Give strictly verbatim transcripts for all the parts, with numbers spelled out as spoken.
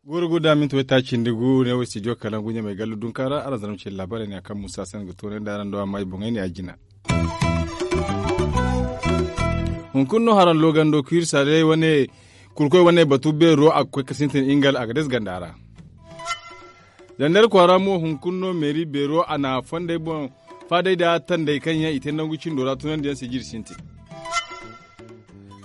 Guuru guuru da minti waytaaci nda gu ne wo studio kalangu ɲamay gallu dunkaara araŋ zarma ce laabaarey ne a kaŋ muusa se ni ga toonandi araŋ do amma i boŋey ne a jina. Hunkuna no haraŋ loogando kiirsa day wane kurkoy wane batu beero a ga koy ga sintin ingal a ga dees ganda ra. Zandar kwaara mo hunkuna no meeri beero a na fondey boŋ faadey nda tandey kaŋ yaŋ i te nangu cindo ra tunandiyaŋ se jiri sintin.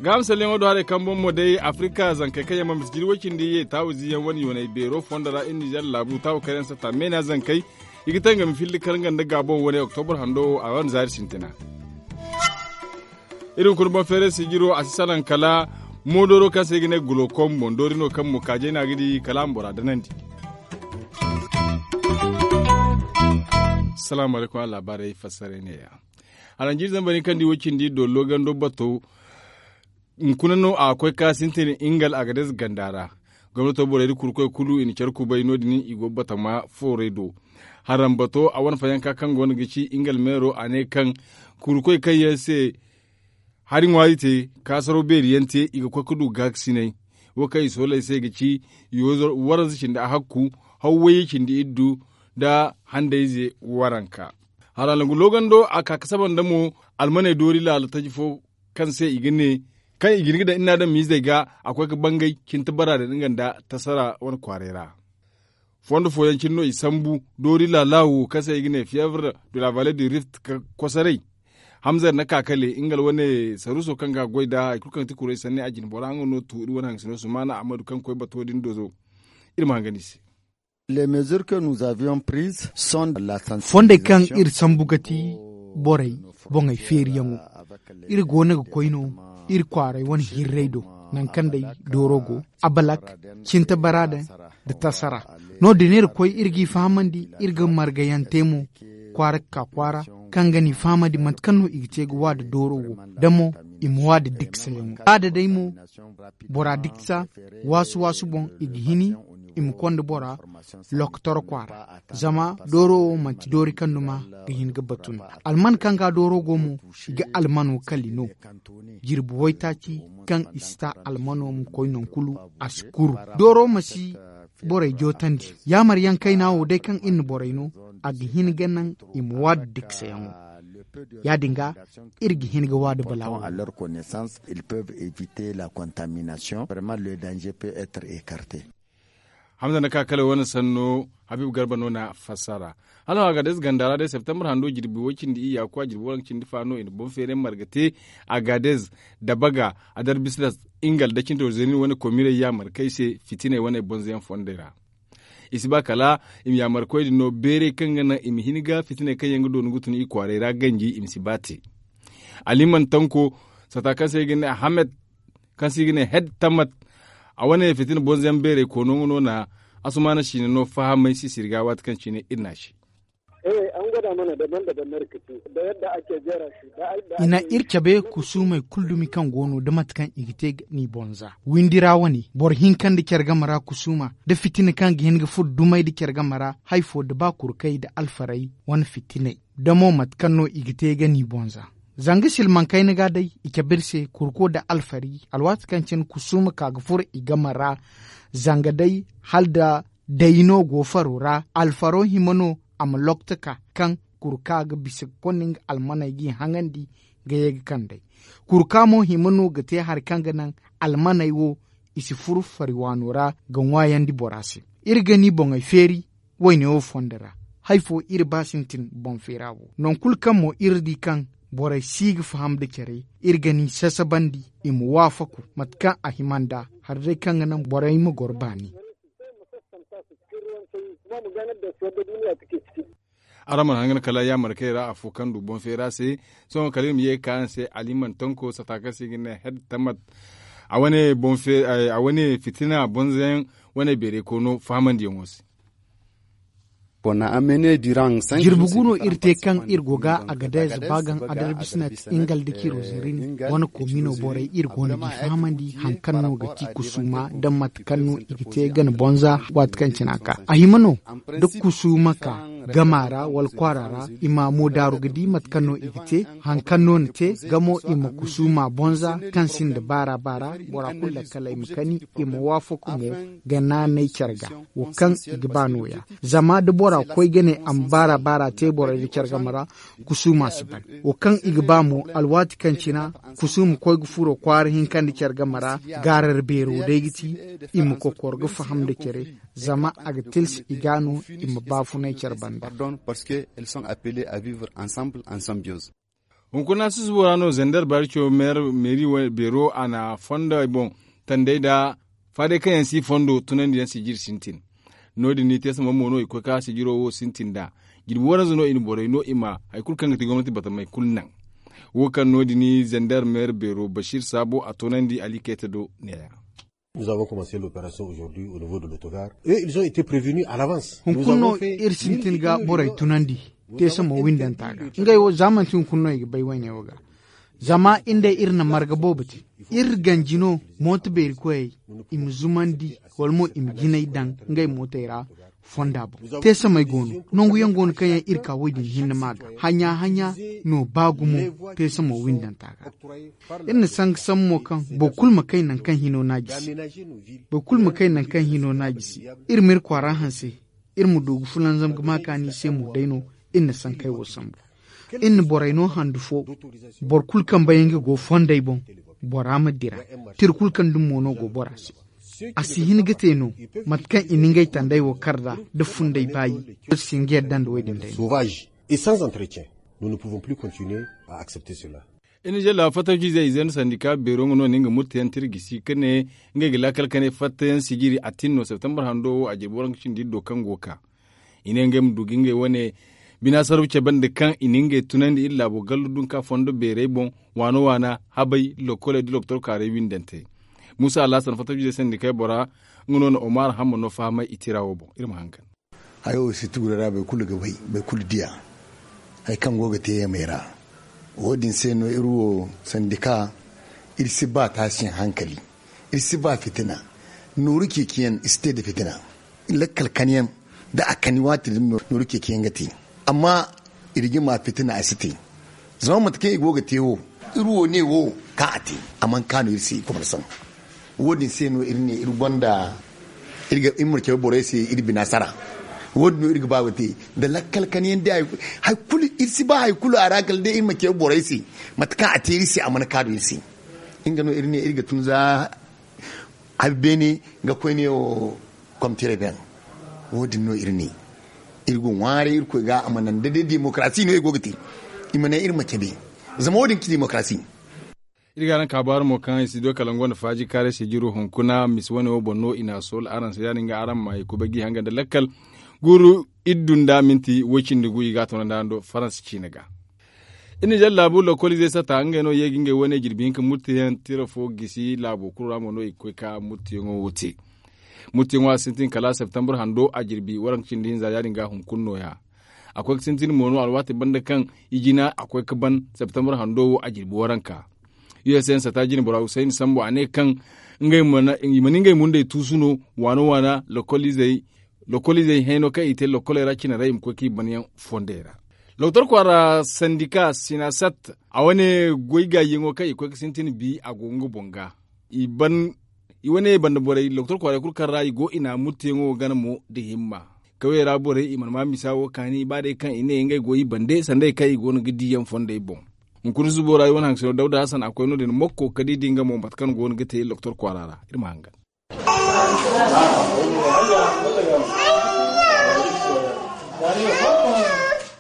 Gaaham salleŋo do haray kaŋ boŋ mo day afirika zankey kaŋ yaŋ ma misi jiri way-cindi ye taawu ziyaŋ wane yoonay beero fondo ra iri nizer laabu taawu kaŋ yaŋ satta meena zankey i ga tangami filli karanga nda gaabon wane oktobur hando wo a wane zaari sintina. Iri hunkuna boŋ feeray sijiro a si salaŋ kala moodooro kaŋ se i ga ne gulokom boŋ doori no kaŋ mo kaajay no a ga di kala a ma bora danandi. Salaamu alaykum a laabaarey fassaray ne-ya. Haranjiri zambar hinka nda i wo cindi dollo gando bato hunkuna no a ga koy ka sintin ingal agadez ganda ra. Gomnato borey nda kurkoy kulu i na care kubay no- din i go batama foorey do. Harambato a wane fayanka kaŋ go no ga ci ingal meero a ne kaŋ kurkoy kaŋ yaŋ se hari ŋwaari te kaasaraw beeri yaŋ te i ga koy ga du gaakasinay. Wo kaŋ i sooley se ga ci waranza cindi ahakku hawwayye cindi iddu nda handayze waranka. Hala nangu loogando a ka ga saba nda mo almaney doori laala taji fo kaŋ se i ga ne kaŋ i ga hin ga daŋ iri na adamizey ga a koy ga bangay cinti bara din nga nda tasara wane kwaaray ra. Fondo fooyaŋ cine no i sambu doori laala wo kaŋ se i ga ne fievre de la valle du rift ga kosoray. Hamza na kakale nga wane saruuso kaŋ ga a goy nd'a hari kulu kaŋ ga ti kuray sanni a jine bora nga no tu iri wane haŋgasino sumaana ahmadu kaŋ ga koy bato din dozo. Iri ma hangan i se. Fondey kaŋ iri sambu ga ti borey boŋey feeriyaŋo. Iri go no ga koy no iri kwaaray wane hirray do nangu kaŋ day dooro go abalak cinta bara din nda tasara. No- din iri koy iri g'i fahamandi iri ga margayaŋ te mo kwaara ga ka kwaara kaŋ ga ni fahamandi mate kaŋ no i ga te ga wa nda dooro wo da mo i ma wa nda diksayaŋo ba da day mo bora diksa waasu waasu boŋ i ga hini i ma konda bora lokotoro kwaara. Zama dooro wo manti doori kaŋ duma ga hin ga batu no alman kaŋ ga dooro go mo i ga almano kali no. Jirbi waytaaci kaŋ i si ta almano ma koy naŋ kulu a si kuru dooro ma si borey jootandi. Yaamar yaŋ kayna wo day kaŋ iri na borey no a ga hin ga naŋ i ma waadu diksayaŋo. Ya- din ga iri ga hin ga waadu balaawo. Hamza na ka kala wane sanno habiibu garba no na fassara. Hala no agadez ganda ra day septembre hando jirbi way cindi iyya kwa jirbi waranka cindi fa no i na boŋ feeray marga te agadez, dabaga, adar bislas, ingal da cinto zenin wane komiray yaamar kay se fitinay wane bonzo yaŋ fondey ra. I si ba kala i ma yaamar koy din no beeray kaŋ ga naŋ i ma hin ga fitinay kaŋ yaŋ ga doonu ga tun i kwaaray ra ganji i ma si ba te. Aliman tanko sata kaŋ se i ga ne ahamed kaŋ se i ga ne hed tammat. A wane fitina bonzo yaŋ beeray koono nga no na asumaana siina no fahamay sisiri ga waati kaŋ cine iri na se. I na iri cabe kusuumey kulu dumi kaŋ go no da mate kaŋ i ga te ga ni bonza windi ra wane boro hinka nda care game ra kusuuma da fitina kaŋ ga hin ga furo dumey da care game ra hari fo da ba kurkey da alfarey wane fitiney da mo mate kaŋ no i ga te ga ni bonza. Zanga silmaŋ kayna ga day i cabe iri se kurko nda alfari alwaati kaŋ cine kusuuma ka ga furo i game ra. Zanga day hala nda day no go faro ra alfaro hima no a ma lokta ka kaŋ kurka ga bisa ga konda nga almaney g'i haŋandi ga ye ga kand'ey. Kurka mo hima no ga te hari kaŋ ga naŋ almaney wo i si furu fari waano ra ga ŋwaayandi bora se. Iri ga ni boŋey feeri wayne wo fondo ra hari fo iri ba sintin boŋ feera wo nangu kulu kaŋ mo iri di kaŋ borey si ga faham nda care iri ga ni sasabandi i ma waafaku mate kaŋ a hima nd'a hari day kaŋ ga naŋ borey ma goro baani. Araŋ mana hangan kala yaamar kay ra afo kaŋ du boŋ feera se. Sohõ kala iri ma ye ga ka araŋ se aliman tanko sata kaŋ se i ga ne hed tammat. A wane boŋ feera a wane fitina bonzayaŋ wane beeray koono fahamandiyaŋo se. Jirbi gu no iri te kaŋ iri go ga agadez baagaŋ adarbisnet ingal da ciro zirini wane koomino borey iri go no g'i fahamandi hari kaŋ no ga ti kusuuma nda mate kaŋ no i ga te gana bonza waati kaŋ cine a ka a hima no da kusuuma ka. gama ra wala kwaara ra, i ma mo daaru ga di mate kaŋ no i ga te. Hari kaŋ no ni te gamo, i ma kusuuma bonza kaŋ sinda baara baara. Bora kulu lakkal i ma kani, i ma waafaku mo ga naanay care ga. Wo kaŋ i ga ba nooya, zama da bora koy ga ne a ma baara baara te borey nda care game ra, kusuuma si ban. Wo kaŋ i ga ba mo, alwaati kaŋ cina kusuuma koy ga furo kwaara hinka nda care game ra, gaarar beero day ga ti i ma kokor ga faham nda care, zama a ga tilsi i ga no i ma baafunay care banda. Parce que elles sont appelées à vivre ensemble en symbiose. Hunkuna susubo ra no zander barco meeri beero a na fondo ay boŋ tandey nda faadey kaŋ yaŋ si fondo tunandiyaŋ sijiri sintin. No- din ni te samma mo no i koy ka sijiro wo sintin nd'a. Jirbi waranza no i na borey no i ma hari kulu kaŋ ga ti gomnati batamey kulu naŋ. Wo kaŋ no- din ni zander meeri beero bashir saabo a toonandi ali kayta do neeya. Nous avons commencé l'opération aujourd'hui au niveau de l'autogar et ils ont été prévenus à l'avance. Hunkuna no iri sintin ga borey tunandi te samma windanta ga ngey wo za manti hunkuna no i ga bay wayne wo ga. Zama iri nd'ey iri na marga boobo te. Iri ganji no mooto beeri koyey i ma zumandi wala mo i ma jinay daŋ ngey mootey ra. Fonda boŋ te samey go no nangu yaŋ go no kaŋ yaŋ iri ka wo- din hinne ma ga hanya hanya no ba gumo. Te samo windanta ga iri na sanga sammo kaŋ boro kulu ma kay nangu kaŋ hino no a jisi. Boro kulu ma kay nangu kaŋ hino no a jisi. Iri ma iri kwaara hanse iri ma du ga fulanzam ga ma kaani se mo day no. Iri na sankey wo sambu iri na borey no handu fo. Boro kulu kaŋ bay nga go fondey boŋ bora ma dira. Tira kulu kaŋ dumi mo no go bora se. A si hin ga te no mate kaŋ i na ngey tandey wo kar nd'a nda fundey baayi. Iri si hin ga yadda nda wo- din day no. Et sans entretien nous ne pouvons plus continuer à accepter cela. Iri na jalla fattaciizey ize nda sandika beero nga no na nga murteyaŋ tira gisi ka ne ngey ga laakal kanay fattayaŋ sijiri a tin no septembre hando wo a jirbi waranka cindi iri do kaŋ go ga ka. I ne ngey ma du ga ngey wane bina sarru cabe nda kaŋ i na ngey tunandi iri laabo gallu dunka fondo beerey boŋ. Waana waana habay lokoley nda loktor kaaray windante. Muusa alhasan fattaciizey sandikey bora nga no na omar hamma no fahamay i tira wo boŋ iri ma hangan. Hayo wo si tugu ra boro kulu ga bay boro kulu diya hari kaŋ go ga te yamey ra. Wo- din se no iri wo sandika iri si ba taasiyaŋ hankali. Iri si ba fitina. Nooru ceeciyaŋ i si te nda fitina. Lakkal kaniyaŋ da a kani waati din no nooru ceeciyaŋ ga te. Amma iri jama fitina a si te. Zama mate kaŋ i go ga te wo iri wo ne wo kaŋ a te a mana kaanu iri se i komarsaŋ. Wo- din se no iri ne iri gonda iri ma cabe borey se iri bina sara. Wo- din no iri ga ba ga te nda lakkal kaniyaŋ day hari kulu iri si ba hari kulu a ra kala day iri ma cabe borey se mate kaŋ a te iri se a mana kaanu iri se. Nga no iri ne iri ga tun za hari beene ga koyne wo komtire beŋ. Wo- din no iri ne iri go ŋwaaray irkoy ga a ma naŋ da day demokarasi no i go ga te. I ma ne iri ma cabe zama wo- din ga ci demokarasi. Iri ga araŋ kaabaari mo kaŋ i si du kala nga wane faaji kaaray sijiro hunkuna misi wane wo boŋ no i n'a soola araŋ se ya- din ga araŋ ma i kubay g'i hanga nda lakkal guuru iri dunda minti woy cindi gu i ga a toonandi araŋ do faransa ciine ga. Iri na jalla laabu lokoliizey sata ngey no ye ga ngey wane jirbi hinka murteyaŋ tira fo gisi laabo kulu ra mo no i ga koy ka murteyaŋo wo te. Murteyaŋo a sintin kala septembre hando a jirbi waranka cindi hinza ya- din ga hunkuna nooya. A koy ga sintin mo no alwaati banda kaŋ i jina a koy ga ban septembre hando wo a jirbi waranka. Usn sata jine bora husayni sambu a ne kaŋ i ma ni ngey mundey tuusu no waana waana lokoliizey lokoliizey hayno kaŋ i te lokoley ra cine ra i ma koy kaŋ i banyaŋ fondey ra. Lokotor kwaara sandika sinasat a wane goy gaayyaŋo kaŋ i koy ga sintin bi a go nga boŋ ga. I wane banda borey lokotor kwaaray kulu kaŋ ra i go i na murteyaŋo gana mo nda himma. Kawyey ra borey i mana ma misa wo kaani ba day kaŋ i ne ngey go i bande sanday kaŋ i go no ga diiyaŋ fondey boŋ. Hunkuna zubo ra i wane haŋsino dawda hasan a koy no- din mokko ka di di nga mo mate kaŋ go no ga te lokotor kwaara ra iri ma hangan.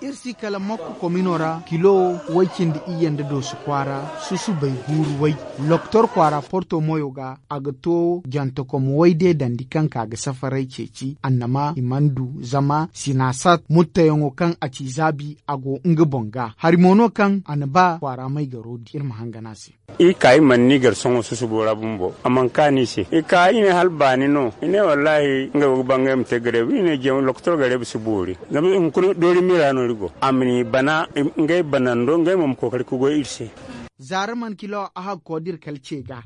Iri si kala mokko komino ra kilo way cindi iyye nda doosu kwaara susubay guuru way. Lokotor kwaara porto moyo ga a ga to jantakom way deedandi kaŋ ka ga safaray ceeci annama i mana du zama sinasat murteyaŋo kaŋ a ci zaabi a go nga boŋ ga hari mo no kaŋ a na ba kwaara may garo di iri ma hangan a se. I ka i mana ni gar sohõ susubo ra bumbo a mana kaanu i se i ka i ne hala baani no i ne wallaahi ngey wo ga ba ngey ma te gareebu i ne jeema lokotor gareebu si boori. Zama hunkuna doori miira no iri go a ma ni bana ngey banando ngey mo ma kookari ka goy iri se. Zaara mana kilo a hagko da iri kala ce ga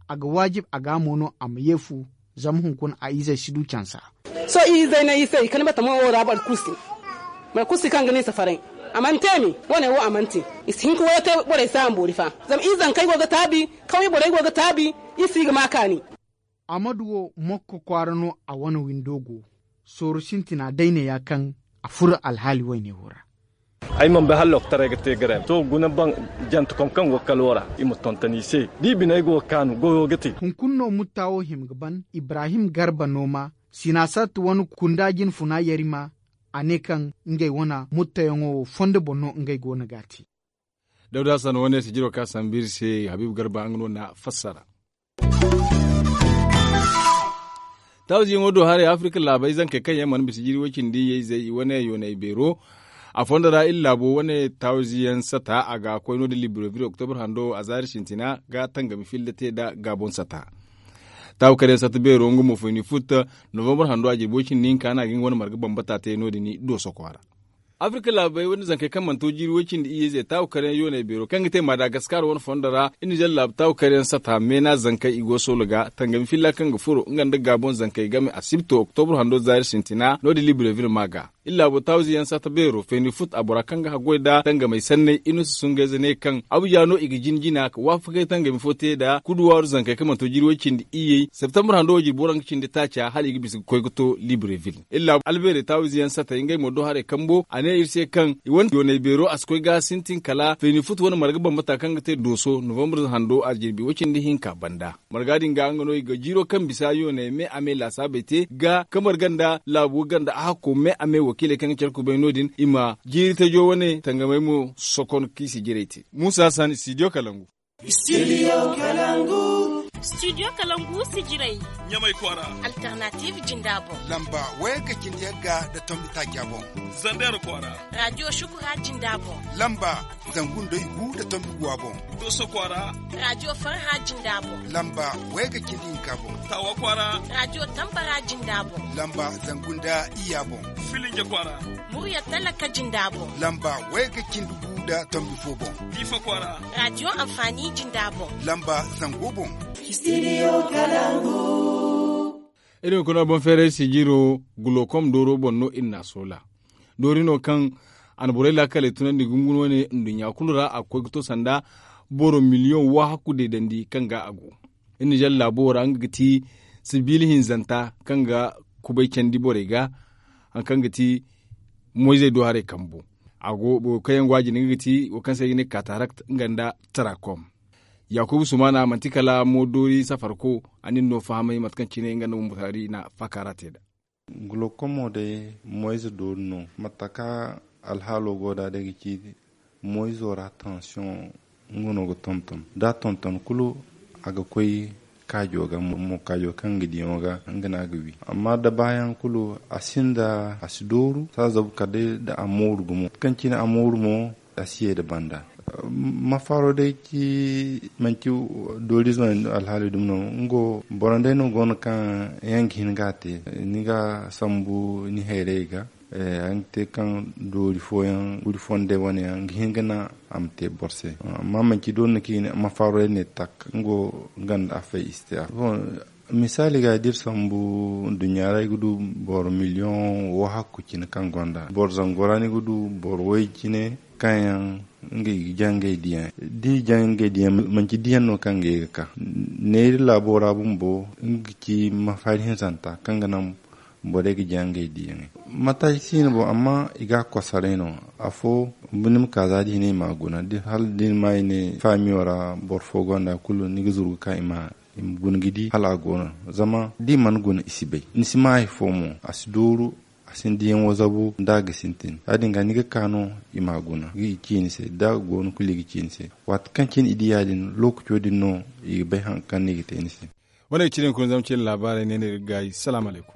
a ga waajib a ga mo no a ma ye fu. Zama hunkuna a izey si du cansa. Sohõ i izey ne i se i kani batamo wo ra boro kulu se. Boro kulu si kaŋ ga ne safaray, a mana te me. Wane wo a mana te. I si hin ka wayo te borey se a ma boori fa. Zama i zankey go ga taabi, kawye borey go ga taabi. I si ga ma kaani. Amadu wo mokko kwaara no a wane windo go. Sooru sintina day ne ya kaŋ a furo alhaali wayne wo ra. Ay mana bay hala loktaray ga te garay to guna ban jantakom kaŋ go ga kalo ra i ma tonton i se. Da i biney go ga kaanu goyo ga te. Hunkuna no mutta wo hima ga ban ibrahim garba nooma, sinasat wane kunda jinfuna yarima. A ne kaŋ ngey wane muttayaŋo wo fondo boŋ no ngey go no ga a te. Dawda san wane sijiro ka sambu iri se habiibu garba nga no na fassara. Tawziyaŋo do haray afirka laabey zankey kaŋ yaŋ mana bisa jiri way cindi iyye izey i wane yoonay beero. A fondo ra iri laabo wane tawziyaŋ sata a ga koy no- din libreville oktobar hando a zaari sintina ga tangami filla te nda gaabon sata. Taawu kar yaŋ sata beero nga mo fayni futta novembar hando a jirbi way cindi hinka no a ga nga wane marga bambata te no- din dooso kwaara. Afirka laabey wane zankey kaŋ mana to jiiri way cindi iyye ize taawu kar yaŋ yoonay beero kaŋ ga te madagaskar wane fondo ra iri na zalla laabu taawu kar yaŋ sata meena zankey i go soola ga tangami filla kaŋ ga furo nga nda gaabon zankey game a si bi to oktobar hando zaari sintina no- din libreville ma ga. Iri laabo tawzi yaŋ sata beero fayni fut a bora kaŋ ga haggoy nda tangamey sanney iri no si sungayze ne kaŋ abuja no i ga jina jina ka waafakay tangami fo te nda kuduwaaru zankey kaŋ mana to jiri way cindi iyyey septembar hando wo jirbi waranka cindi taaca hala i ga bisa ga koy ga to libreville iri laabo albeerey tawzi yaŋ satey ngey mo do haray kambo a ne iri se kaŋ i wane yoonay beero a si koy ga sintin kala fayni fut wane marga bambata kaŋ ga te dooso novembre hando a jirbi way cindi hinka banda. Marga din ga nga no i ga jiiro kaŋ bisa yooney me a me laasaabey te ga ka marga nda laabu ganda a hakko me a me wakiiley kaŋ ga care kubay no- din i ma jiiri tajo wane tangamey mo sokon kaŋ i si jiray te muusa san studio kalangu. Studio kalangu si jiray ɲamay kwaara. Alternative jinda boŋ. Lamba waya ga cindi yagga nda tombi taaca boŋ. Zander kwaara. Radio shukura jinda boŋ. Lamba zangu nda igu nda tombi guwa boŋ. Dooso kwaara. Radio farha jinda boŋ. Lamba waya ga cindi hinka boŋ. Taawa kwaara. Radio tambara jinda boŋ. Lamba zangu nda iyya boŋ. Filinja kwaara. Murya talaka jinda boŋ. Lamba waya ga cindi gu nda tombi fo boŋ. Diifa kwaara. Radio anfaani jinda boŋ. Lamba zango boŋ. Studio kalangu. Iri ma kuna boŋ feeray sijiro gulokom dooro boŋ no iri na a soola. Doori no kaŋ a na borey laakaley tunandi gungunu wane nduɲɲa kulu ra a ga koy ga to sanda boro miliyoŋ wahakku deedandi kaŋ ga a go. Iri na zalla laabo wo ra nga ga ti sibiila hinzanta kaŋ ga kubay candi borey ga. Hari kaŋ ga ti moyzey do haray kambo a go boro kaŋ yaŋ go a jine nga ga ti wo kaŋ se i ga ne katarakt nga nda tarakom. Yaakuba sumaana manti kala mo doori safarko a na iri no fahamay mate kaŋ cine nga nda bumbo taari na faakaara te nd'a. Gulokomo day moyze doori no mate kaŋ alhaalo go nd'a day ga ci moyzo ra tansiyoŋ nga no ga tonton da a tonton kulu a ga koy kaajo ga mo kaajo kaŋ ga diyaŋo ga nga no a ga wi. Amma da baayaŋ kulu a sinda a si dooru saazabu kala day da a mooru gumo kaŋ cine a mooru mo a si ye nda banda. Mafaaro day ci manci doorizo alhaali dumi no nga wo boro day no go no kaŋ yaŋ ga hin ga a te ni ga sambu ni hayrey ga. Araŋ ga te kaŋ doori fooyaŋ guri fondey wane yaŋ ga hin ga naŋ a ma te boro se. Amma manci doori no kaŋ i ne mafaaro day ne tak nga wo ganda afey i si te a. Misaali ga da iri sambu nduɲɲa ra ay ga du boro miliyoŋ wahakku cine kaŋ gonda boro zango ra ni ga du boro way cine kaŋ yaŋ nga i ga jaŋ ngey diyaŋ da i jaŋ ngey diyaŋ manci diyaŋ no kaŋ ga ye ga ka neeri laabo ra bumbo nga ga ci mafaari hinzanta kaŋ ga naŋ borey ga jaŋ ngey diyaŋey. Mataaci si no boŋ amma i ga a kosaray no afo ni ma ka za da i ne i ma a guna hala da ni ma i ne faamiyo ra boro fo gonda kulu ni ga zuru ga ka i ma i ma guna ga di hala a go no. Zama da i mana guna i si bay ni si ma hari fo mo a si dooru a si ni diyaŋo zabu nda a ga sintin ya- din ga ni ga ka no i ma a guna ga i ci ni se da a go no kulu i ga ci ni se. Waati kaŋ cine i di ya- din lookaco din no i ga bay hari kaŋ no i ga te ni se. Wane ga cine hunkuna zama cine laabaarey ne no iri ga gaayi salaamu alaykum.